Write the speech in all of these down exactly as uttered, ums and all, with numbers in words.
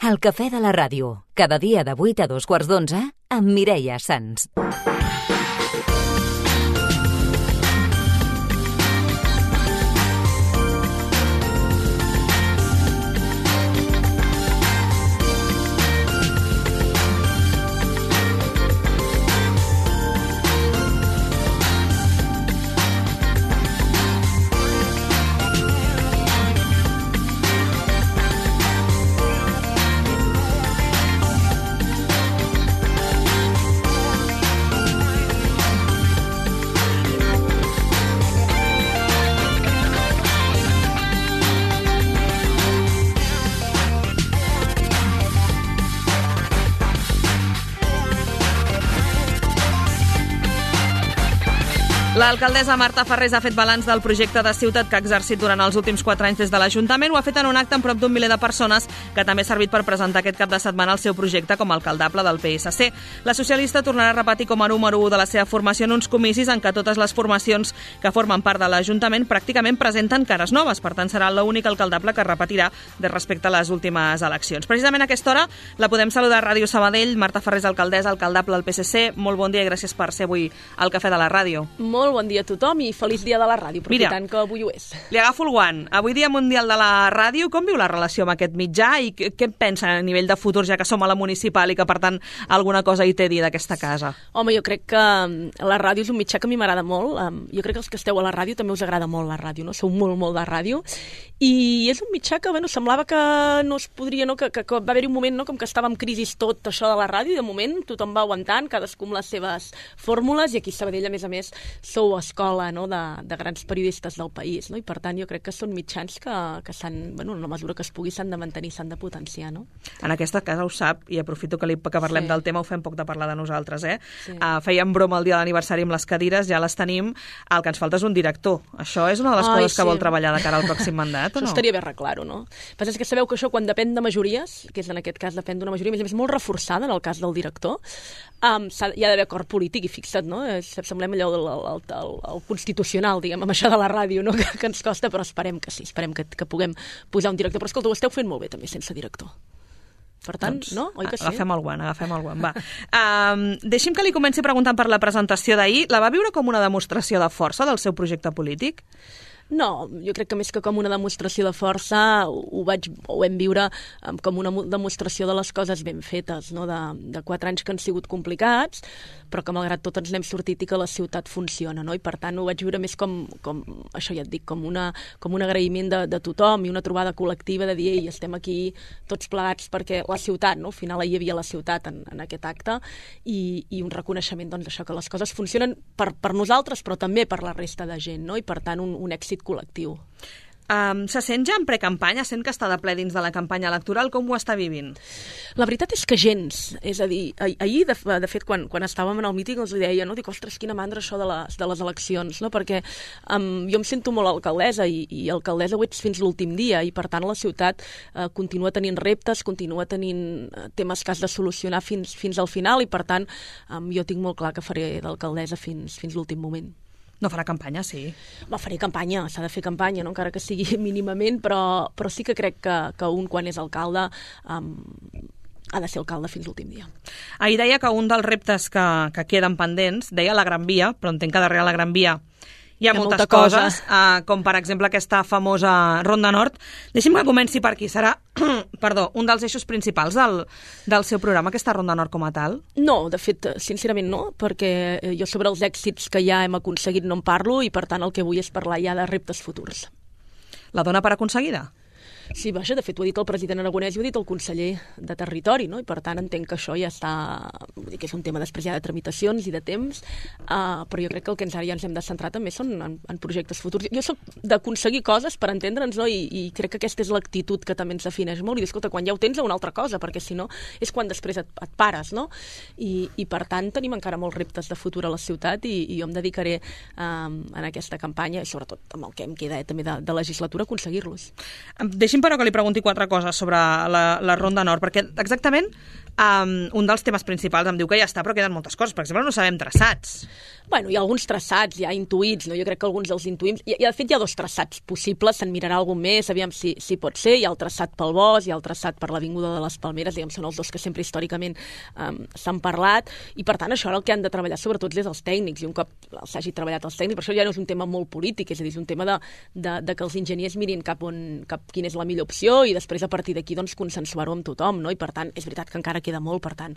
El cafè de la ràdio, cada dia de vuit a dos quarts d'onze, amb Mireia Sans. L'alcaldessa Marta Farrés ha fet balanç del projecte de ciutat que ha exercit durant els últims quatre anys des de l'Ajuntament. Ho ha fet en un acte amb prop d'un miler de persones que també ha servit per presentar aquest cap de setmana el seu projecte com a alcaldable del P S C. La socialista tornarà a repetir com a número u de la seva formació en uns comicis en què totes les formacions que formen part de l'Ajuntament pràcticament presenten cares noves. Per tant, serà l'únic alcaldable que repetirà de respecte a les últimes eleccions. Precisament a aquesta hora la podem saludar a Ràdio Sabadell. Marta Farrés, alcaldessa, alcaldable del P S C. Molt bon dia i gràcies per ser avui al Cafè de la Ràdio. Molt bon dia a tothom i feliç dia de la ràdio, aprofitant Mira, que avui ho és. Li agafo el guant. Avui dia mundial de la ràdio, com viu la relació amb aquest mitjà i què, què pensa a nivell de futur, ja que som a la municipal i que, per tant, alguna cosa hi té a dir d'aquesta casa? Home, jo crec que la ràdio és un mitjà que a mi m'agrada molt. Jo crec que els que esteu a la ràdio també us agrada molt la ràdio, no? Sou molt, molt de ràdio. I és un mitjà que, bueno, semblava que no es podria, no? Que, que, que va haver-hi un moment, no? Com que estava en crisi tot això de la ràdio i de moment tothom va aguantant, cadascú amb les seves fórmules, i aquí a Sabadell, a més a més, sou escola, no? de, de grans periodistes del país, no? I per tant jo crec que són mitjans que, que s'han, bueno, en la mesura que es pugui s'han de mantenir, s'han de potenciar, no? En aquesta casa ho sap, i aprofito que, li, que parlem sí. del tema, ho fem poc de parlar de nosaltres, eh? Sí. Uh, fèiem broma el dia de l'aniversari amb les cadires, ja les tenim, el que ens falta és un director. Això és una de les Ai, coses sí. que vol treballar de cara al pròxim mandat, o no? Això estaria bé arreglar-ho, no? Però és que sabeu que això quan depèn de majories, que és en aquest cas depèn d'una majoria, a més a més molt reforçada en el cas del director, um, hi ha d'haver acord polític i fixa't, no? Semblem allò del el, el, el constitucional, diguem, amb això de la ràdio, no? que, que ens costa, però esperem que sí, esperem que, que puguem posar un director. Però escolta, ho esteu fent molt bé també sense director. Per tant, doncs, no? Oi que sí? Agafem el guant, agafem el guant, va. Um, deixi'm que li comenci preguntant per la presentació d'ahir. La va viure com una demostració de força del seu projecte polític? No, jo crec que més que com una demostració de força ho, vaig, ho vam viure com una demostració de les coses ben fetes, no? de, de quatre anys que han sigut complicats, però que malgrat tot ens n'hem sortit i que la ciutat funciona, no? I per tant ho vaig viure més com, com això ja et dic, com, una, com un agraïment de, de tothom i una trobada col·lectiva de dir, ei, estem aquí tots plegats perquè la ciutat, no? Al final hi havia la ciutat en, en aquest acte i, i un reconeixement doncs, d'això, que les coses funcionen per, per nosaltres però també per la resta de gent, no? I per tant un, un èxit col·lectiu. Um, se sent ja en precampanya? Sent que està de ple dins de la campanya electoral? Com ho està vivint? La veritat és que gens. És a dir, ahir, de, de fet, quan, quan estàvem en el míting els deia, no? Dic, ostres, quina mandra això de les, de les eleccions, no? Perquè um, jo em sento molt alcaldessa i, i alcaldessa ho ets fins l'últim dia i, per tant, la ciutat uh, continua tenint reptes, continua tenint uh, temes que has de solucionar fins, fins al final i, per tant, um, jo tinc molt clar que faré d'alcaldessa fins, fins l'últim moment. No farà campanya, sí. Va, faré campanya, s'ha de fer campanya, no? Encara que sigui mínimament, però, però sí que crec que, que un, quan és alcalde, um, ha de ser alcalde fins l'últim dia. Ahir deia que un dels reptes que, que queden pendents, deia la Gran Via, però entenc que darrere la Gran Via hi ha, hi ha moltes coses, uh, com per exemple aquesta famosa Ronda Nord. Deixi'm que comenci per aquí. Serà perdó, un dels eixos principals del, del seu programa, aquesta Ronda Nord com a tal? No, de fet, sincerament no, perquè jo sobre els èxits que ja hem aconseguit no en parlo i per tant el que vull és parlar ja de reptes futurs. La dona per aconseguida? Sí, vaja, de fet ho ha dit el president Aragonès i ho ha dit el conseller de Territori, no? I per tant entenc que això ja està, vull dir que és un tema després ja de tramitacions i de temps, uh, però jo crec que el que ens ara ja ens hem de centrar també són en, en projectes futurs. Jo soc d'aconseguir coses per entendre'ns, no? I, i crec que aquesta és l'actitud que també ens defineix molt, i dir, escolta, quan ja ho tens a una altra cosa, perquè si no és quan després et, et pares, no? I, i per tant tenim encara molts reptes de futur a la ciutat i, i jo em dedicaré um, en aquesta campanya, i sobretot amb el que em queda eh, també de, de legislatura, a aconseguir-los. Deixi'm, però, que li pregunti quatre coses sobre la, la Ronda Nord, perquè exactament Um, un dels temes principals em diu que ja està, però queden moltes coses. Per exemple, no sabem traçats. Bueno, hi ha alguns traçats, hi ha intuïts, no? Jo crec que alguns dels intuïms... I, i de fet hi ha dos traçats possibles, se'n mirarà algun més, aviam si, si pot ser. Hi ha el traçat pel Bosc, hi ha el traçat per l'Avinguda de les Palmeres, diguem, són els dos que sempre històricament um, s'han parlat, i per tant això ara el que han de treballar sobretot és els tècnics, i un cop s'hagi treballat els tècnics, per això ja no és un tema molt polític, és a dir, és un tema de, de, de que els enginyers mirin cap on, cap quina és la millor opció, i després a partir d'aquí doncs consensuar-ho amb tothom, no? I per tant, és veritat que encara queda molt, per tant,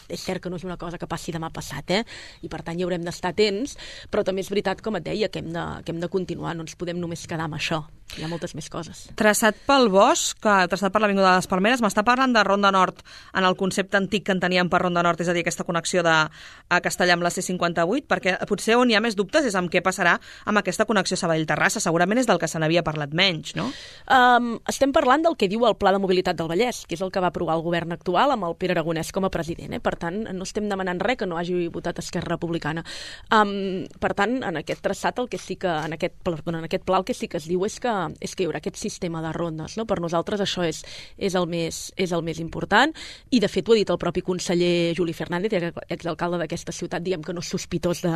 és cert que no és una cosa que passi demà passat, eh? I per tant hi haurem d'estar atents, però també és veritat, com et deia, que hem de, que hem de continuar, no ens podem només quedar amb això. Hi ha moltes més coses. Traçat pel Bosc, que, traçat per l'Avinguda de les Palmeres, m'està parlant de Ronda Nord en el concepte antic que en teníem per Ronda Nord, és a dir, aquesta connexió de a Castellà amb la C cinquanta-vuit, perquè potser on hi ha més dubtes és amb què passarà amb aquesta connexió Sabadell-Terrassa. Segurament és del que se n'havia parlat menys, no? Um, estem parlant del que diu el Pla de Mobilitat del Vallès, que és el que va aprovar el govern actual amb el Pere Aragonès com a president. Eh? Per tant, no estem demanant res que no hagi votat Esquerra Republicana. Um, per tant, en aquest traçat, el que sí que, en aquest, perdó, en aquest pla, el que sí que es diu és que, és que hi haurà aquest sistema de rondes. No? Per nosaltres això és, és, el més, és el més important, i de fet ho ha dit el propi conseller Juli Fernández, exalcalde d'aquesta ciutat, diguem que no és sospitós de,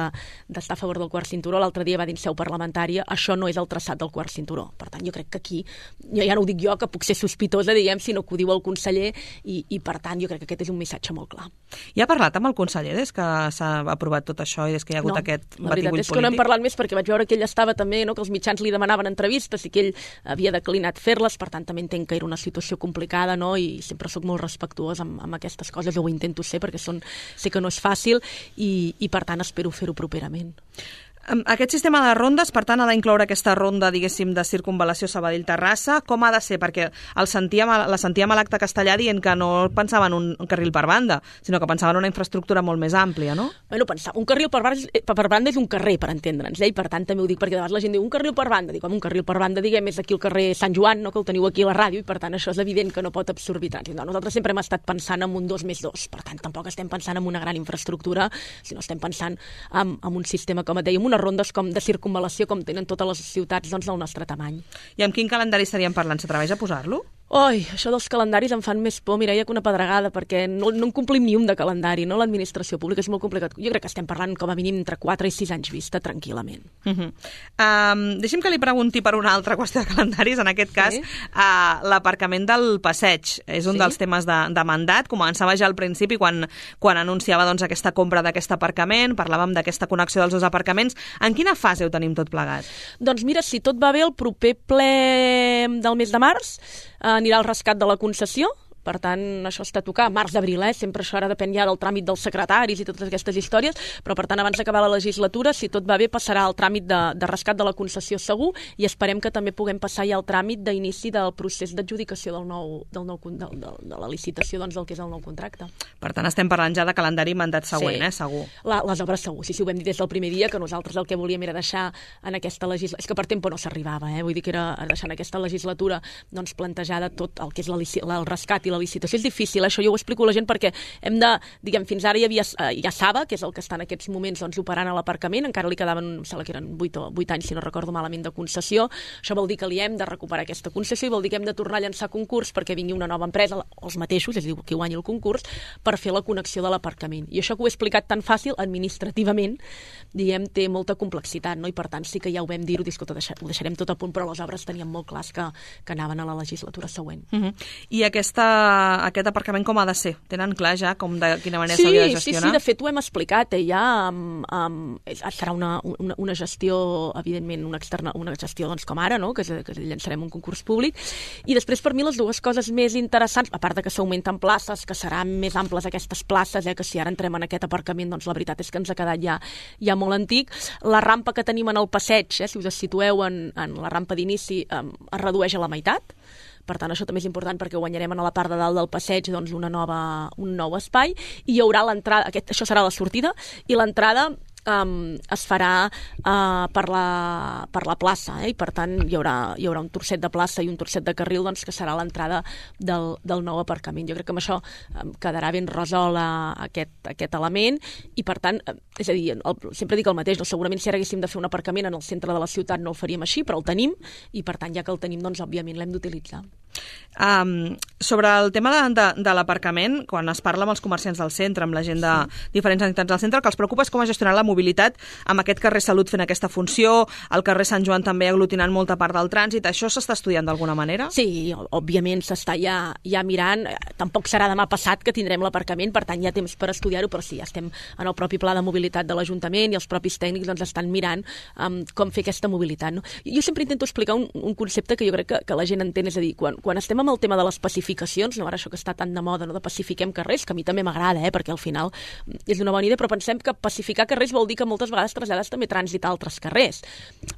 d'estar a favor del quart cinturó. L'altre dia va dir en seu parlamentària, això no és el traçat del quart cinturó. Per tant, jo crec que aquí, jo ja no ho dic jo, que puc ser sospitosa, diguem, sinó que ho diu el conseller, i, i per tant, jo crec que aquest és un missatge molt clar. I ha parlat amb el conseller des que s'ha aprovat tot això i des que hi ha hagut no, aquest batibull polític? La veritat és que no hem parlat més perquè vaig veure que ell estava també, no, que els mitjans li demanaven entrevistes i que ell havia declinat fer-les, per tant també entenc que era una situació complicada, no? I sempre sóc molt respectuós amb, amb aquestes coses, jo ho intento ser perquè són, sé que no és fàcil, i, i per tant espero fer-ho properament. Aquest sistema de rondes, per tant, ha d'incloure aquesta ronda, diguéssim, de circunvalació Sabadell-Terrassa. Com ha de ser? Perquè el sentíem, la sentíem a l'acte castellà dient que no pensaven un, un carril per banda, sinó que pensaven una infraestructura molt més àmplia, no? Bueno, pensar, un carril per banda, per banda és un carrer, per entendre'ns, eh? I per tant també ho dic perquè de vegades la gent diu un carril per banda, dic, un carril per banda, diguem, és aquí el carrer Sant Joan, no? Que el teniu aquí a la ràdio, i per tant això és evident que no pot absorbir trànsit. No, nosaltres sempre hem estat pensant en un dos més dos, per tant tampoc estem pensant en una gran infraestructura, sinó estem pensant en, en un sistema, com et dèiem, unes rondes com de circunvalació com tenen totes les ciutats, doncs, del nostre tamany. I amb quin calendari estaríem parlant? S'atreveix a posar-lo? Oi, això dels calendaris em fan més por, Mireia, que una pedregada, perquè no, no en complim ni un de calendari, no? L'administració pública és molt complicat. Jo crec que estem parlant com a mínim entre quatre i sis anys vista, tranquil·lament. Uh -huh. um, deixi'm que li pregunti per una altra qüestió de calendaris, en aquest cas, sí. uh, l'aparcament del passeig. És un sí. dels temes de, de mandat. Començava ja al principi, quan, quan anunciava doncs, aquesta compra d'aquest aparcament, parlàvem d'aquesta connexió dels dos aparcaments. En quina fase ho tenim tot plegat? Doncs mira, si tot va bé, el proper ple del mes de març anirà al rescat de la concessió. Per tant, això està a tocar, març-abril, eh? Sempre això ara depèn ja del tràmit dels secretaris i totes aquestes històries, però per tant, abans d'acabar la legislatura, si tot va bé, passarà el tràmit de, de rescat de la concessió segur, i esperem que també puguem passar ja el tràmit d'inici del procés d'adjudicació del nou, del nou, de, de, de la licitació, doncs, del que és el nou contracte. Per tant, estem parlant ja de calendari mandat següent, sí. eh? Segur. La, les obres segur, sí, sí, ho vam dir des del primer dia, que nosaltres el que volíem era deixar en aquesta legislatura, és que per temps no s'arribava, eh? Vull dir que era deixar en aquesta legislatura doncs, plantejada tot el que és la, el rescat i la licitació. És difícil, això jo ho explico a la gent perquè hem de, diguem, fins ara hi havia ja Saba, que és el que està en aquests moments doncs, operant a l'aparcament, encara li quedaven, em sembla que eren vuit anys, si no recordo malament, de concessió. Això vol dir que li hem de recuperar aquesta concessió i vol dir que hem de tornar a llançar concurs perquè vingui una nova empresa, els mateixos, és a dir, qui guanyi el concurs, per fer la connexió de l'aparcament. I això que ho he explicat tan fàcil, administrativament, diguem, té molta complexitat, no? I per tant sí que ja ho vam dir-ho, ho deixarem tot a punt, però les obres teníem molt clars que, que anaven a la legislatura següent. Uh-huh. I aquesta aquest aparcament com ha de ser? Tenen clar ja com de quina manera sí, s'hauria de gestionar? Sí, sí, de fet ho hem explicat, eh, ja um, um, serà una, una, una gestió, evidentment, una, externa, una gestió doncs, com ara, no? que, que llançarem un concurs públic, i després per mi les dues coses més interessants, a part de que s'augmenten places, que seran més amples aquestes places, eh, que si ara entrem en aquest aparcament, doncs la veritat és que ens ha quedat ja, ja molt antic, la rampa que tenim en el passeig, eh, si us situeu en, en la rampa d'inici, um, es redueix a la meitat. Per tant, això també és important perquè guanyarem a la part de dalt del passeig doncs, una nova, un nou espai, i hi haurà l'entrada, aquest, això serà la sortida, i l'entrada um, es farà uh, per, la, per la plaça, eh? I per tant hi haurà, hi haurà un torcet de plaça i un torcet de carril, doncs, que serà l'entrada del, del nou aparcament. Jo crec que amb això um, quedarà ben resolt uh, aquest, aquest element i, per tant, uh, és a dir, el, sempre dic el mateix, no? Segurament si ara haguéssim de fer un aparcament en el centre de la ciutat no el faríem així, però el tenim i, per tant, ja que el tenim, doncs, òbviament l'hem d'utilitzar. Um, sobre el tema de, de, de l'aparcament, quan es parla amb els comerciants del centre, amb la gent de sí. diferents entitats del centre, el que els preocupa és com gestionar la mobilitat amb aquest carrer Salut fent aquesta funció, el carrer Sant Joan també aglutinant molta part del trànsit. Això s'està estudiant d'alguna manera? Sí, òbviament s'està ja, ja mirant. Tampoc serà demà passat que tindrem l'aparcament, per tant hi ha temps per estudiar-ho, però sí, ja estem en el propi pla de mobilitat de l'Ajuntament i els propis tècnics doncs, estan mirant um, com fer aquesta mobilitat. No? Jo sempre intento explicar un, un concepte que jo crec que, que la gent entén, és a dir, quan, quan estem amb el tema de les pacificacions, no, ara això que està tan de moda, no, de pacifiquem carrers, que a mi també m'agrada, eh, perquè al final és una bona idea, però pensem que pacificar carrers vol dir que moltes vegades trasllades també trànsit a altres carrers.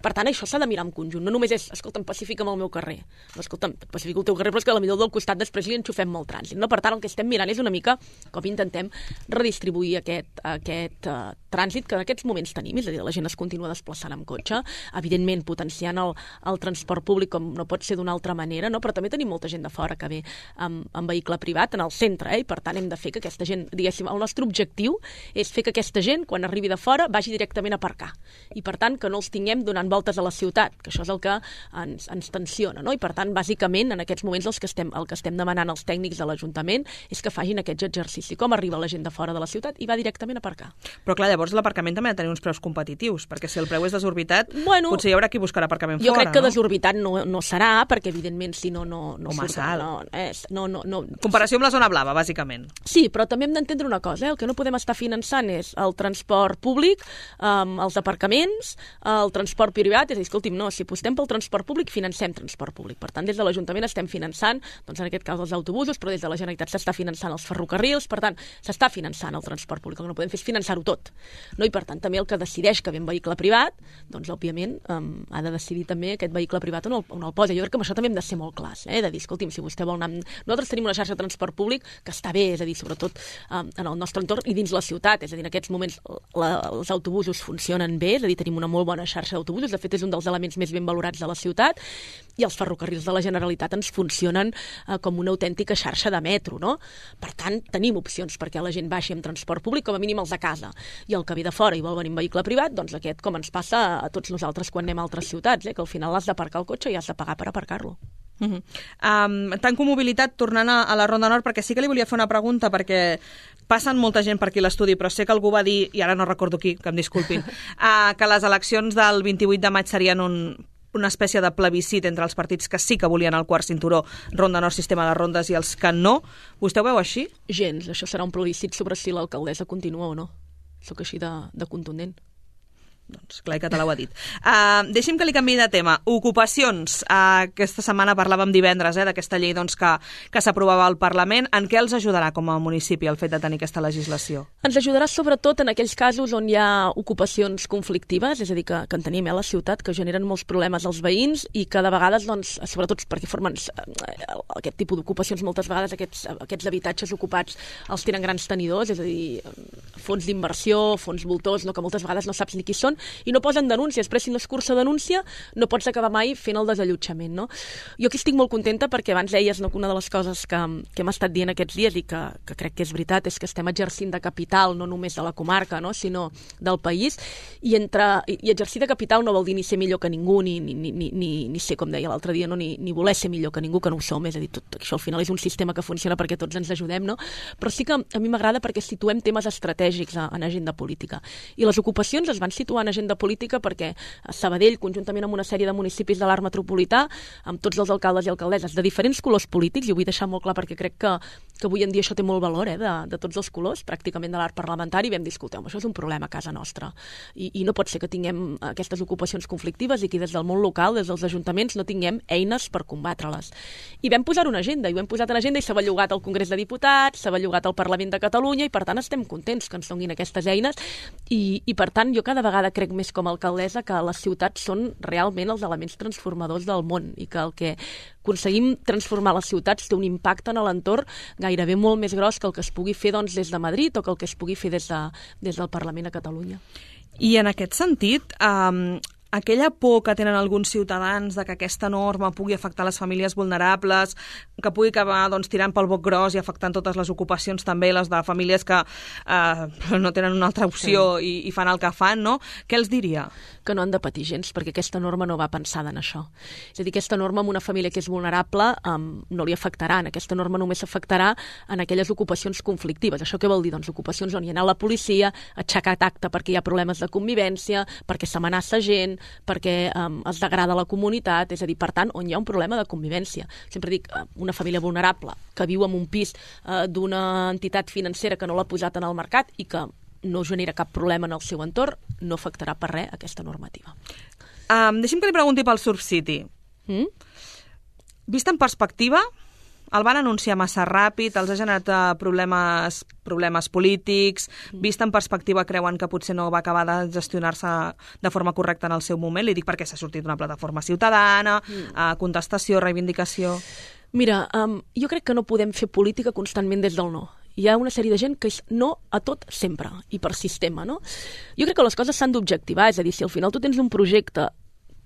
Per tant, això s'ha de mirar en conjunt. No només és, escolta'm, pacifica'm el meu carrer. No, escolta'm, pacifica el teu carrer, però és que a la millor del costat després li enxufem molt trànsit. No? Per tant, el que estem mirant és una mica com intentem redistribuir aquest, aquest uh, trànsit que en aquests moments tenim, és a dir, la gent es continua desplaçant amb cotxe, evidentment potenciant el, el transport públic com no pot ser d'una altra manera, no? Però també tenim molta gent de fora que ve amb, amb vehicle privat en el centre, eh? I per tant hem de fer que aquesta gent, diguéssim, el nostre objectiu és fer que aquesta gent, quan arribi de fora, vagi directament a aparcar. I per tant, que no els tinguem donant voltes a la ciutat, que això és el que ens, ens tensiona, no? I per tant, bàsicament, en aquests moments els que estem, el que estem demanant als tècnics de l'Ajuntament és que facin aquest exercici. Com arriba la gent de fora de la ciutat i va directament a aparcar. Però clar, llavors l'aparcament també ha de tenir uns preus competitius, perquè si el preu és desorbitat, bueno, potser hi haurà qui buscarà aparcament jo fora, crec que no? desorbitat no, no serà, perquè evidentment si no, no, no Home, surt, no, és, no, no, no. Comparació amb la zona blava, bàsicament. Sí, però també hem d'entendre una cosa, eh? El que no podem estar finançant és el transport públic, um, els aparcaments, el transport privat, és a dir, escolti'm, no, si apostem pel transport públic, financem transport públic. Per tant, des de l'Ajuntament estem finançant, doncs en aquest cas els autobusos, però des de la Generalitat s'està finançant els ferrocarrils, per tant, s'està finançant el transport públic. El que no podem fer és finançar-ho tot. No? I per tant, també el que decideix que ve un vehicle privat, doncs òbviament um, ha de decidir també aquest vehicle privat on el, on el posa. Jo crec que amb això també hem de ser molt clars, eh? De dir, escolti'm, si vostè vol anar... Nosaltres tenim una xarxa de transport públic que està bé, és a dir, sobretot um, en el nostre entorn i dins la ciutat, és a dir, en aquests moments la, els autobusos funcionen bé, és a dir, tenim una molt bona xarxa d'autobusos, de fet és un dels elements més ben valorats de la ciutat, i els ferrocarrils de la Generalitat ens funcionen uh, com una autèntica xarxa de metro, no? Per tant, tenim opcions perquè la gent baixi amb transport públic, com a mínim els de casa, i el que ve de fora i vol venir en vehicle privat, doncs aquest, com ens passa a tots nosaltres quan anem a altres ciutats, eh? Que al final has d'aparcar el cotxe i has de pagar per aparcar-lo. Uh -huh. um, tanco mobilitat, tornant a, a la Ronda Nord, perquè sí que li volia fer una pregunta, perquè passen molta gent per aquí a l'estudi, però sé que algú va dir, i ara no recordo qui, que em disculpin, uh, que les eleccions del vint-i-vuit de maig serien un, una espècie de plebiscit entre els partits que sí que volien el quart cinturó, Ronda Nord, sistema de rondes, i els que no. Vostè ho veu així? Gens, això serà un plebiscit sobre si l'alcaldessa continua o no. Soc així de, de contundent. Doncs clar que te l'ho ha dit. Uh, deixi'm que li canviï de tema. Ocupacions. Uh, aquesta setmana parlàvem divendres eh, d'aquesta llei doncs, que, que s'aprovava al Parlament. En què els ajudarà com a municipi el fet de tenir aquesta legislació? Ens ajudarà sobretot en aquells casos on hi ha ocupacions conflictives, és a dir, que, que en tenim eh, a la ciutat, que generen molts problemes als veïns i que de vegades, doncs, sobretot perquè formen eh, aquest tipus d'ocupacions, moltes vegades aquests, aquests habitatges ocupats els tenen grans tenidors, és a dir, fons d'inversió, fons voltors, no, que moltes vegades no saps ni qui són, i no posen denúncies, però si no es cursa denúncia no pots acabar mai fent el desallotjament, no? Jo aquí estic molt contenta perquè abans deies no, que una de les coses que, que hem estat dient aquests dies i que, que crec que és veritat és que estem exercint de capital no només de la comarca, no? Sinó del país, i, entre, i exercir de capital no vol dir ni ser millor que ningú, ni, ni, ni, ni, ni ser, com deia l'altre dia, no? ni, ni voler ser millor que ningú, que no ho som, és a dir, tot això al final és un sistema que funciona perquè tots ens ajudem, no? Però sí que a mi m'agrada perquè situem temes estratègics en agenda política. I les ocupacions es van situar en agenda política perquè a Sabadell, conjuntament amb una sèrie de municipis de l'arc metropolità, amb tots els alcaldes i alcaldesses de diferents colors polítics, i ho vull deixar molt clar perquè crec que, que avui en dia això té molt valor, eh, de, de tots els colors, pràcticament de l'arc parlamentari, vam dir, escolteu, això és un problema a casa nostra. I, I no pot ser que tinguem aquestes ocupacions conflictives i que des del món local, des dels ajuntaments, no tinguem eines per combatre-les. I vam posar una agenda, i ho hem posat en agenda i s'ha bellugat al Congrés de Diputats, s'ha bellugat al Parlament de Catalunya, i per tant estem contents que ens donin aquestes eines, i, i per tant jo cada vegada crec més com a alcaldessa que les ciutats són realment els elements transformadors del món i que el que aconseguim transformar les ciutats té un impacte en l'entorn gairebé molt més gros que el que es pugui fer doncs, des de Madrid o que el que es pugui fer des, de, des del Parlament a Catalunya. I en aquest sentit, eh, aquella por que tenen alguns ciutadans de que aquesta norma pugui afectar les famílies vulnerables, que pugui acabar doncs, tirant pel boc gros i afectant totes les ocupacions, també les de famílies que eh, no tenen una altra opció sí. i, i fan el que fan, no? Què els diria? Que no han de patir gens, perquè aquesta norma no va pensada en això. És a dir, aquesta norma en una família que és vulnerable um, no li afectarà. Aquesta norma només afectarà en aquelles ocupacions conflictives. Això què vol dir? Doncs ocupacions on hi ha anat la policia, aixecar tacte perquè hi ha problemes de convivència, perquè s'amenaça gent, perquè um, es degrada la comunitat, és a dir, per tant, on hi ha un problema de convivència. Sempre dic, una família vulnerable que viu en un pis uh, d'una entitat financera que no l'ha posat en el mercat i que no genera cap problema en el seu entorn, no afectarà per res aquesta normativa. Um, deixi'm que li pregunti pel Surf City. Mm? Vist en perspectiva, el van anunciar massa ràpid, els ha generat uh, problemes, problemes polítics, mm. vist en perspectiva creuen que potser no va acabar de gestionar-se de forma correcta en el seu moment? Li dic perquè s'ha sortit una plataforma ciutadana, mm. uh, contestació, reivindicació... Mira, um, jo crec que no podem fer política constantment des del no. Hi ha una sèrie de gent que és no a tot sempre, i per sistema, no? Jo crec que les coses s'han d'objectivar, és a dir, si al final tu tens un projecte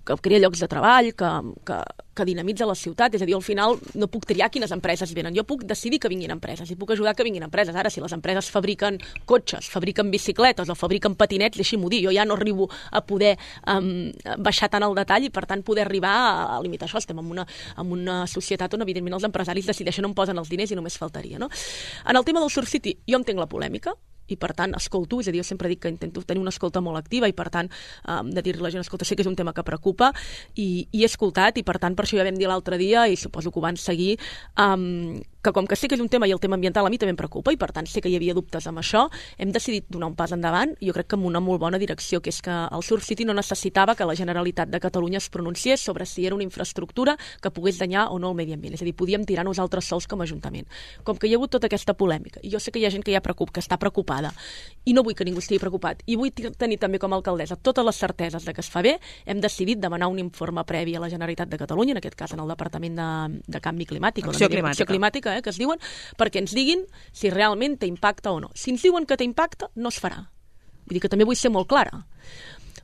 que crea llocs de treball, que, que, que dinamitza la ciutat, és a dir, al final no puc triar quines empreses venen, jo puc decidir que vinguin empreses i puc ajudar que vinguin empreses. Ara, si les empreses fabriquen cotxes, fabriquen bicicletes o fabriquen patinets, deixi-m'ho dir, jo ja no arribo a poder um, baixar tant al detall i, per tant, poder arribar a, a limitar això. Estem en una, en una societat on, evidentment, els empresaris decideixen on posen els diners i només faltaria, no? En el tema del Surf City, jo entenc la polèmica, i per tant escolto, és a dir, jo sempre dic que intento tenir una escolta molt activa i per tant um, de dir-li a la gent, escolta, sé que és un tema que preocupa i, i he escoltat i per tant per això ja vam dir l'altre dia i suposo que ho van seguir, um, que com que sé que és un tema i el tema ambiental a mi també em preocupa i per tant sé que hi havia dubtes amb això, hem decidit donar un pas endavant, jo crec que amb una molt bona direcció, que és que el Surf City no necessitava que la Generalitat de Catalunya es pronunciés sobre si era una infraestructura que pogués danyar o no el medi ambient, és a dir, podíem tirar nosaltres sols com a Ajuntament. Com que hi ha hagut tota aquesta polèmica, i jo sé que hi ha gent que, ja preocup, que està preocupada, i no vull que ningú estigui preocupat, i vull tenir també com a alcaldessa totes les certeses de que es fa bé, hem decidit demanar un informe previ a la Generalitat de Catalunya, en aquest cas en el Departament de, de Canvi Climàtic, Acció Climàtica, Acció Climàtica eh, que es diuen, perquè ens diguin si realment té impacte o no. Si ens diuen que té impacte, no es farà. Vull dir que també vull ser molt clara.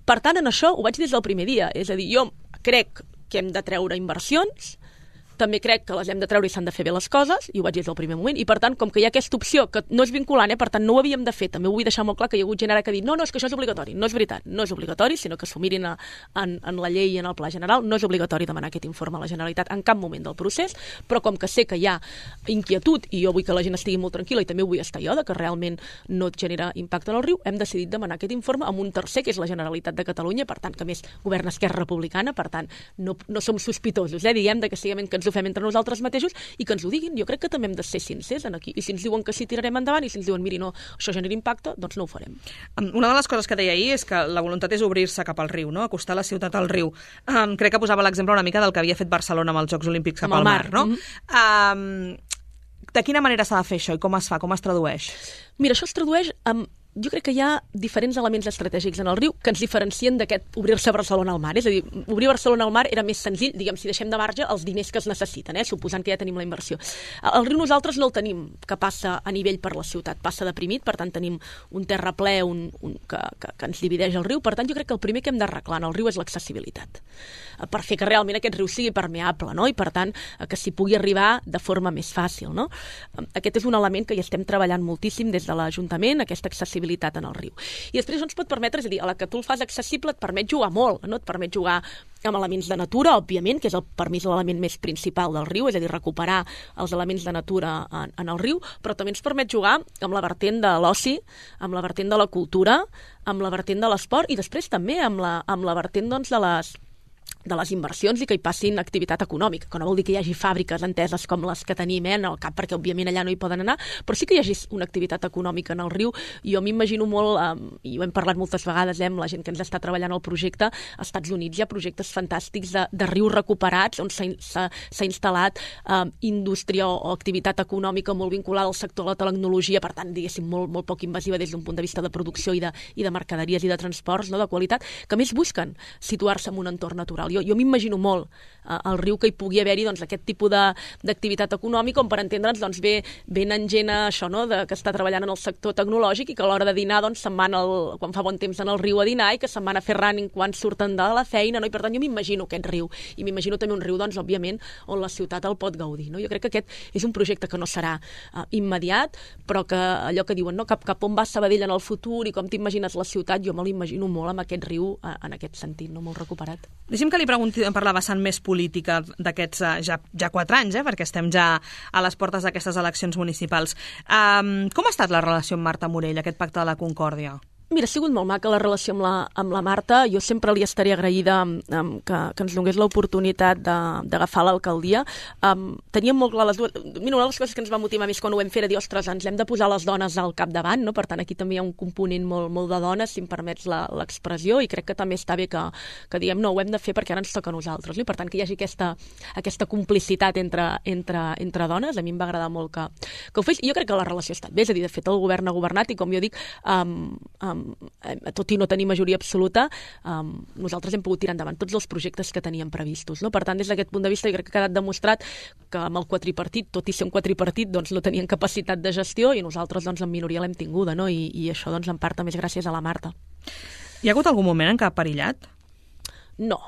Per tant, en això ho vaig dir des del primer dia, és a dir, jo crec que hem de treure inversions, també crec que les hem de treure i s'han de fer bé les coses, i ho vaig dir des del primer moment, i per tant, com que hi ha aquesta opció que no és vinculant, eh, per tant no ho havíem de fer, també ho vull deixar molt clar que hi ha hagut gent ara que ha dit no, no, és que això és obligatori. No és veritat, no és obligatori, sinó que s'ho mirin a, en, en la llei i en el pla general, no és obligatori demanar aquest informe a la Generalitat en cap moment del procés, però com que sé que hi ha inquietud i jo vull que la gent estigui molt tranquil·la i també ho vull estar jo, de que realment no et genera impacte en el riu, hem decidit demanar aquest informe amb un tercer, que és la Generalitat de Catalunya, per tant, que més governa Esquerra Republicana, per tant, no, no som sospitosos, eh, diguem de que siguem que ens ho fem entre nosaltres mateixos i que ens ho diguin. Jo crec que també hem de ser sincers en aquí. I si ens diuen que sí, tirarem endavant, i si ens diuen, miri, no, això genera impacte, doncs no ho farem. Una de les coses que deia ahir és que la voluntat és obrir-se cap al riu, no? Acostar la ciutat al riu. Um, crec que posava l'exemple una mica del que havia fet Barcelona amb els Jocs Olímpics cap al mar, no? Mm-hmm. Um, de quina manera s'ha de fer això i com es fa, com es tradueix? Mira, això es tradueix amb jo crec que hi ha diferents elements estratègics en el riu que ens diferencien d'aquest obrir-se Barcelona al mar. És a dir, obrir Barcelona al mar era més senzill, diguem, si deixem de marge els diners que es necessiten, eh, suposant que ja tenim la inversió. El riu nosaltres no el tenim, que passa a nivell per la ciutat, passa deprimit, per tant tenim un terraplè un, un, que, que, que ens divideix el riu, per tant jo crec que el primer que hem d'arreglar en el riu és l'accessibilitat, per fer que realment aquest riu sigui permeable, no? I per tant que s'hi pugui arribar de forma més fàcil, no? Aquest és un element que hi estem treballant moltíssim des de l'Ajuntament, aquesta accessibilitat en el riu. I després no ens pot permetre, és a dir, a la que tu el fas accessible et permet jugar molt, no? Et permet jugar amb elements de natura, òbviament, que és el, per mi és l'element més principal del riu, és a dir, recuperar els elements de natura en, en el riu, però també ens permet jugar amb la vertent de l'oci, amb la vertent de la cultura, amb la vertent de l'esport i després també amb la, amb la vertent doncs, de les de les inversions i que hi passin activitat econòmica, que no vol dir que hi hagi fàbriques enteses com les que tenim eh, en el cap, perquè òbviament allà no hi poden anar, però sí que hi hagi una activitat econòmica en el riu. Jo m'imagino molt, eh, i ho hem parlat moltes vegades eh, amb la gent que ens està treballant al projecte, als Estats Units hi ha projectes fantàstics de, de rius recuperats on s'ha instal·lat eh, indústria o, o activitat econòmica molt vinculada al sector de la tecnologia, per tant, diguéssim, molt, molt poc invasiva des d'un punt de vista de producció i de, i de mercaderies i de transports, no, de qualitat, que més busquen situar-se en un entorn natural. Jo, jo m'imagino molt eh, el riu que hi pugui haver-hi doncs, aquest tipus d'activitat econòmica, on per entendre'ns doncs, ve, venen gent a això, no? de, que està treballant en el sector tecnològic i que a l'hora de dinar doncs, se'n van, al, quan fa bon temps, en el riu a dinar i que se'n van a fer running quan surten de la feina, no? I per tant jo m'imagino aquest riu, i m'imagino també un riu, doncs, òbviament, on la ciutat el pot gaudir. No? Jo crec que aquest és un projecte que no serà uh, immediat, però que allò que diuen, no? cap, cap on va Sabadell en el futur i com t'imagines la ciutat, jo me l'imagino molt amb aquest riu uh, en aquest sentit, no? Molt recuperat. Deixi'm que li pregunti per la vessant més política d'aquests uh, ja, ja quatre anys, eh? perquè estem ja a les portes d'aquestes eleccions municipals. Um, com ha estat la relació amb Marta Morell, aquest pacte de la Concòrdia? Mira, ha sigut molt maca la relació amb la, amb la Marta. Jo sempre li estaré agraïda um, que, que ens donés l'oportunitat d'agafar l'alcaldia. Um, teníem molt clar les dues... Mira, una de les coses que ens va motivar més quan ho vam fer era dir, ostres, ens hem de posar les dones al capdavant, no? Per tant, aquí també hi ha un component molt, molt de dones, si em permets l'expressió, i crec que també està bé que, que diguem, no, ho hem de fer perquè ara ens toca a nosaltres. No? I per tant, que hi hagi aquesta, aquesta complicitat entre, entre, entre dones, a mi em va agradar molt que, que ho fes. I jo crec que la relació ha estat bé, és a dir, de fet, el govern ha governat i, com jo dic, um, um, tot i no tenir majoria absoluta, um, nosaltres hem pogut tirar endavant tots els projectes que teníem previstos. No? Per tant, des d'aquest punt de vista, jo crec que ha quedat demostrat que amb el quadripartit, tot i ser un quadripartit, doncs, no tenien capacitat de gestió i nosaltres doncs, en minoria l'hem tinguda, no? I, i això doncs, en part també és gràcies a la Marta. Hi ha hagut algun moment en què ha perillat? No.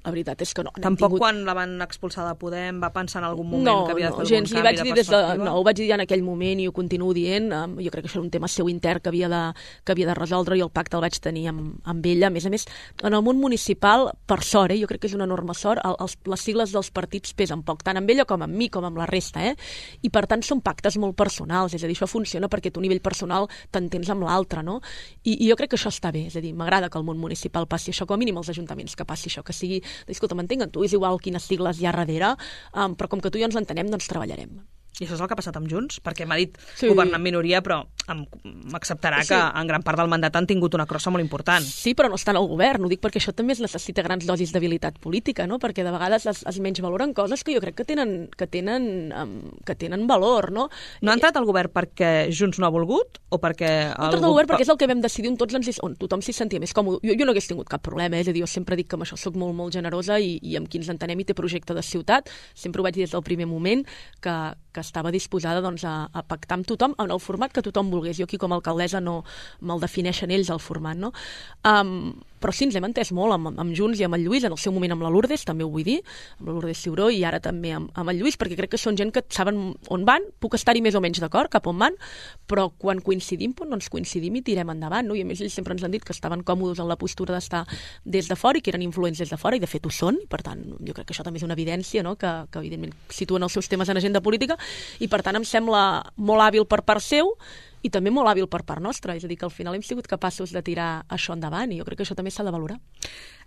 La veritat és que no. Tampoc tingut... quan la van expulsar de Podem va pensar en algun moment no, que havia de fer no, algun gens, canvi vaig de dir des de, perspectiva? no, ho vaig dir en aquell moment i ho continuo dient. Um, jo crec que això era un tema seu intern que havia de, que havia de resoldre i el pacte el vaig tenir amb, amb ella. A més a més, en el món municipal, per sort, eh, jo crec que és una enorme sort, el, els, les sigles dels partits pesen poc, tant amb ella com amb mi, com amb la resta. Eh? I per tant són pactes molt personals, és a dir, això funciona perquè tu a nivell personal t'entens amb l'altre, no? I, I jo crec que això està bé, és a dir, m'agrada que el món municipal passi això, com a mínim als ajuntaments que passi això, que sigui, escolta, m'entenguen, tu és igual quines sigles hi ha darrere, um, però com que tu i jo ens entenem, doncs treballarem. I això és el que ha passat amb Junts? Perquè m'ha dit sí. governar en minoria, però m'acceptarà sí. que en gran part del mandat han tingut una crossa molt important. Sí, però no estan al govern. Ho dic perquè això també es necessita grans dosis d'habilitat política, no? Perquè de vegades es, es menys valoren coses que jo crec que tenen, que tenen, um, que tenen valor, no? No ha entrat al govern perquè Junts no ha volgut? O perquè... No ha entrat al govern perquè és el que vam decidir on, tots ens, on tothom s'hi sentia més còmode. Jo, jo no hagués tingut cap problema, eh? És a dir, jo sempre dic que amb això soc molt, molt generosa i, i amb qui ens entenem i té projecte de ciutat. Sempre ho vaig dir des del primer moment que, que estava disposada doncs, a, a pactar amb tothom en el format que tothom volgués. Jo aquí com a alcaldessa no me'l defineixen ells el format, no? Um, però sí, ens hem entès molt amb, amb Junts i amb el Lluís, en el seu moment amb la Lourdes, també ho vull dir, amb la Lourdes Ciuró i ara també amb, amb el Lluís, perquè crec que són gent que saben on van, puc estar-hi més o menys d'acord, cap on van, però quan coincidim, doncs coincidim i tirem endavant, no? I a més ells sempre ens han dit que estaven còmodes en la postura d'estar des de fora i que eren influents des de fora, i de fet ho són, i per tant jo crec que això també és una evidència, no? que, que evidentment situen els seus temes en agenda política, i per tant em sembla molt hàbil per part seu i també molt hàbil per part nostra, és a dir, que al final hem sigut capaços de tirar això endavant i jo crec que això també s'ha de valorar.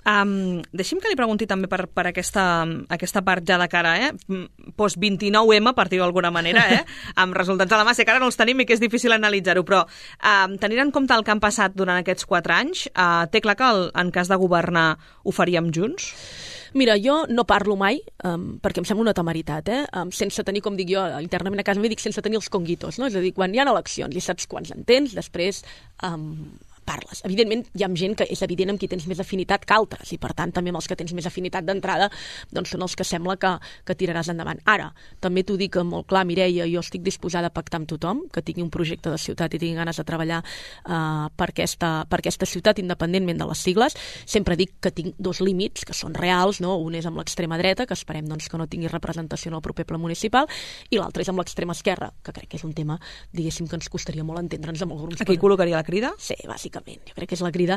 Um, deixi'm que li pregunti també per, per aquesta, aquesta part ja de cara, eh? post vint-i-nou ema, per dir-ho d'alguna manera, eh? amb resultats a la mà, sé que ara no els tenim i que és difícil analitzar-ho, però um, tenint en compte el que han passat durant aquests quatre anys, uh, té clar que el, en cas de governar ho faríem junts? Mira, jo no parlo mai, um, perquè em sembla una temeritat, eh? Um, sense tenir, com dic jo, internament a casa m'hi dic, sense tenir els conguitos, no? És a dir, quan hi ha eleccions i saps quants en tens, després um, parles. Evidentment, hi ha gent que és evident amb qui tens més afinitat que altres, i per tant també amb els que tens més afinitat d'entrada doncs són els que sembla que, que tiraràs endavant. Ara, també t'ho dic molt clar, Mireia, jo estic disposada a pactar amb tothom, que tingui un projecte de ciutat i tingui ganes de treballar uh, per, aquesta, per aquesta ciutat, independentment de les sigles. Sempre dic que tinc dos límits, que són reals, no? Un és amb l'extrema dreta, que esperem doncs, que no tingui representació en el proper ple municipal, i l'altre és amb l'extrema esquerra, que crec que és un tema, diguéssim, que ens costaria molt entendre'ns amb els grups. Aquí per... col·locaria la crida? Sí, bàsicament. Jo crec que és la crida,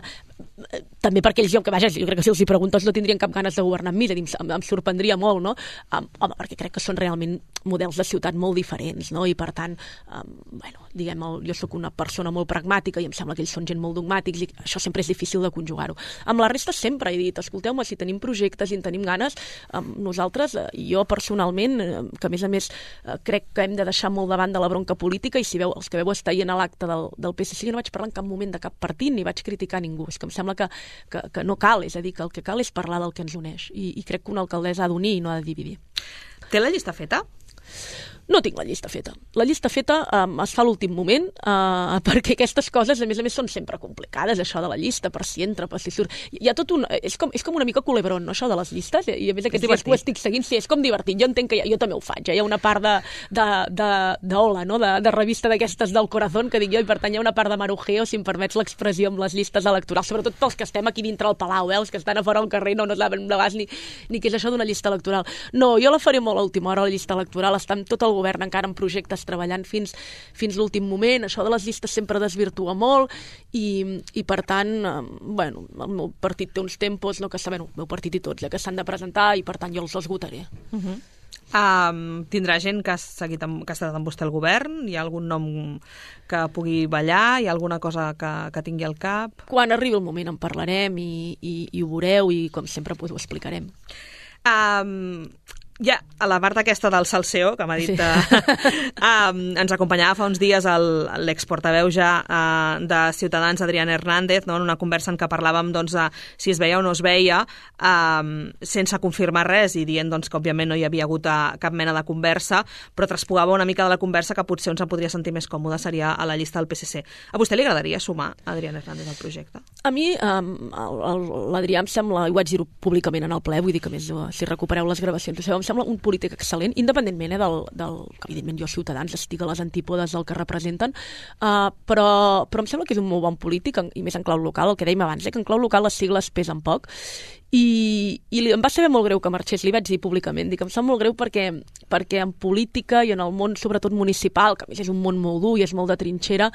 també perquè ells, jo, que vaja, jo crec que si els hi preguntes no tindrien cap ganes de governar amb mi, és a dir, em, em sorprendria molt, no? Um, home, perquè crec que són realment models de ciutat molt diferents, no? I per tant, um, bueno, diguem, el, jo sóc una persona molt pragmàtica i em sembla que ells són gent molt dogmàtics i això sempre és difícil de conjugar-ho. Amb la resta sempre he dit, escolteu-me, si tenim projectes i en tenim ganes, um, nosaltres, eh, jo personalment, eh, que a més a més eh, crec que hem de deixar molt davant de la bronca política, i si veu, els que veu estar ahir a l'acte del, del P S C, no vaig parlar en cap moment de cap partit ni vaig criticar ningú, és que em sembla que, que, que no cal, és a dir, que el que cal és parlar del que ens uneix, i, i crec que una alcaldessa ha d'unir i no ha de dividir. Té la llista feta? No tinc la llista feta. La llista feta um, es fa a l'últim moment uh, perquè aquestes coses, a més a més, són sempre complicades, això de la llista, per si entra, per si surt. Hi ha tot un... És com, és com una mica culebron, no?, això de les llistes, i a més aquests dies ho estic seguint, sí, és com divertit. Jo entenc que ja, jo també ho faig, eh? Hi ha una part de, de, de, de hola, no?, de, de revista d'aquestes del corazón, que dic jo, i per tant hi ha una part de marujeo, si em permets l'expressió, amb les llistes electorals, sobretot pels que estem aquí dintre el Palau, eh? Els que estan a fora al carrer no, no saben de bas ni, ni què és això d'una llista electoral. No, jo la faré molt a última hora, la llista electoral, està amb tot el govern encara en projectes treballant fins, fins l'últim moment, això de les llistes sempre desvirtua molt i, i per tant, eh, bueno, el meu partit té uns tempos, no, que saben, el meu partit i tots, eh, que s'han de presentar i per tant jo els esgotaré. Uh-huh. Um, tindrà gent que ha, seguit amb, que ha estat amb vostè al govern? Hi ha algun nom que pugui ballar? Hi ha alguna cosa que, que tingui al cap? Quan arribi el moment en parlarem i, i, i ho veureu i com sempre pues, ho explicarem. Um, ja, a la part aquesta del salseo, que m'ha dit, sí. uh, um, ens acompanyava fa uns dies l'exportaveu ja uh, de Ciutadans, Adrián Hernández, no?, en una conversa en què parlàvem doncs, de si es veia o no es veia, um, sense confirmar res i dient doncs, que òbviament no hi havia hagut uh, cap mena de conversa, però traspugava una mica de la conversa que potser on se podria sentir més còmode seria a la llista del P S C. A vostè li agradaria sumar Adrián Hernández al projecte? A mi, um, l'Adrià em sembla, i ho vaig dir-ho públicament en el ple, vull dir que més si recupereu les gravacions, em sembla un polític excel·lent, independentment eh, del, del que evidentment jo Ciutadans estic a les antípodes del que representen, uh, però, però em sembla que és un molt bon polític, i més en clau local, el que dèiem abans, eh, que en clau local les sigles pesen poc, i, i li, em va saber molt greu que marxés, li vaig dir públicament, dic, em sap molt greu perquè, perquè en política i en el món, sobretot municipal, que a més és un món molt dur i és molt de trinxera,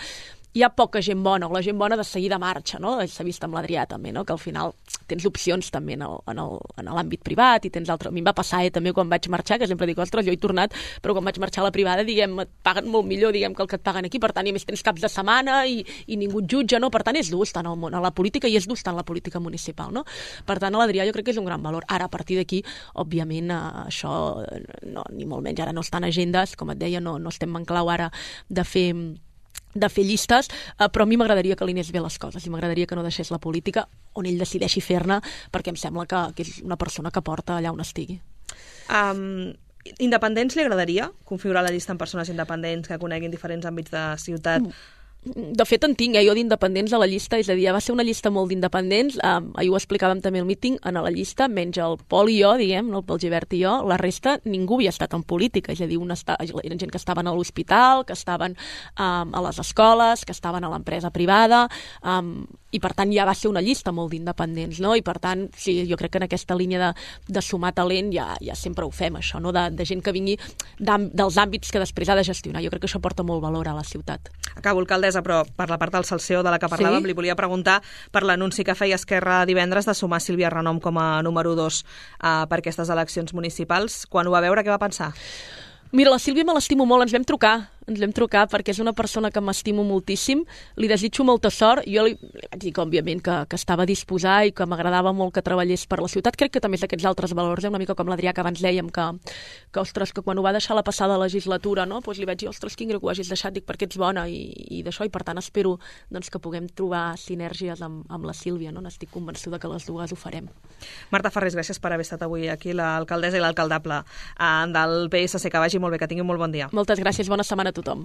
hi ha poca gent bona, o la gent bona de seguida marxa, no? S'ha vist amb l'Adrià també, no?, que al final tens opcions també en l'àmbit privat i tens altres... A mi em va passar eh, també quan vaig marxar, que sempre dic, ostres, jo he tornat, però quan vaig marxar a la privada, diguem, et paguen molt millor, diguem, que el que et paguen aquí, per tant, i a més tens caps de setmana i, i ningú et jutja, no? Per tant, és dur estar en el món, a la política, i és dur estar en la política municipal, no? Per tant, a l'Adrià jo crec que és un gran valor. Ara, a partir d'aquí, òbviament, eh, això, no, ni molt menys, ara no estan agendes, com et deia, no, no estem en clau ara de fer de fer llistes, eh, però a mi m'agradaria que li anés bé les coses i m'agradaria que no deixés la política on ell decideixi fer-ne, perquè em sembla que, que és una persona que porta allà on estigui. Um, independents li agradaria configurar la llista amb persones independents que coneguin diferents àmbits de ciutat? Mm. De fet, en tinc, eh, jo d'independents a la llista, és a dir, va ser una llista molt d'independents, eh, ahir ho explicàvem també al míting, en la llista, menys el Pol i jo, diguem, no, el Pol Gibert i jo, la resta ningú havia estat en política, és a dir, una esta... eren gent que estaven a l'hospital, que estaven eh, a les escoles, que estaven a l'empresa privada, eh, i per tant ja va ser una llista molt d'independents, no? I per tant, sí, jo crec que en aquesta línia de, de sumar talent ja, ja sempre ho fem, això, no? De, de gent que vingui dels àmbits que després ha de gestionar. Jo crec que això porta molt valor a la ciutat. Acabo, alcaldessa, però per la part del salseo de la que parlàvem, sí? Li volia preguntar per l'anunci que feia Esquerra divendres de sumar Sílvia Renom com a número dos uh, per aquestes eleccions municipals. Quan ho va veure, què va pensar? Mira, la Sílvia me l'estimo molt, ens vam trucar, ens vam trucar perquè és una persona que m'estimo moltíssim, li desitjo molta sort, jo li, li vaig dir que, òbviament, que, que estava a disposar i que m'agradava molt que treballés per la ciutat. Crec que també és d'aquests altres valors, eh? Una mica com l'Adrià, que abans dèiem que, que, ostres, que quan ho va deixar la passada legislatura, no? Pues li vaig dir, ostres, quin greu que ho hagis deixat, dic, perquè ets bona i, i d'això, i per tant espero doncs, que puguem trobar sinergies amb, amb la Sílvia, no? N'estic convençuda que les dues ho farem. Marta Farrés, gràcies per haver estat avui aquí, l'alcaldessa i l'alcaldable eh, del P S C, que vagi molt bé, que tingui un molt bon dia. Moltes gràcies, bona setmana a tothom.